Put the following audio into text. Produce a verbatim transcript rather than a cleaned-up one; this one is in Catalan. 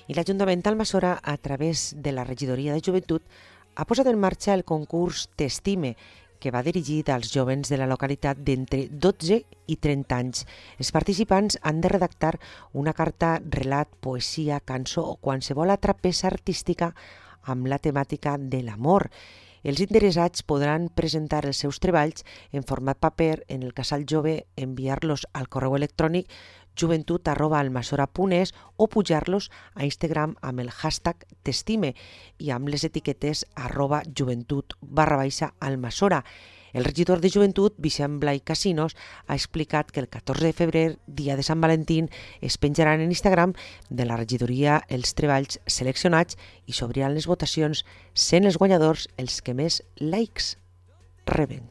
I l'Ajuntament d'Almassora, a través de la Regidoria de Joventut, ha posat en marxa el concurs T'estime, que va dirigit als jovens de la localitat d'entre dotze i trenta anys. Els participants han de redactar una carta, relat, poesia, cançó o qualsevol altra peça artística amb la temàtica de l'amor. Els interessats podran presentar els seus treballs en format paper en el casal jove, enviar-los al correu electrònic joventut arroba almassora punt es o pujar-los a Instagram amb el hashtag T'estime i amb les etiquetes arroba joventut barra baixa almassora. El regidor de Joventut, Vicent Blai Casinos, ha explicat que el catorze de febrer, dia de Sant Valentín, es penjaran en Instagram de la regidoria els treballs seleccionats i s'obriran les votacions, sent els guanyadors els que més likes reben.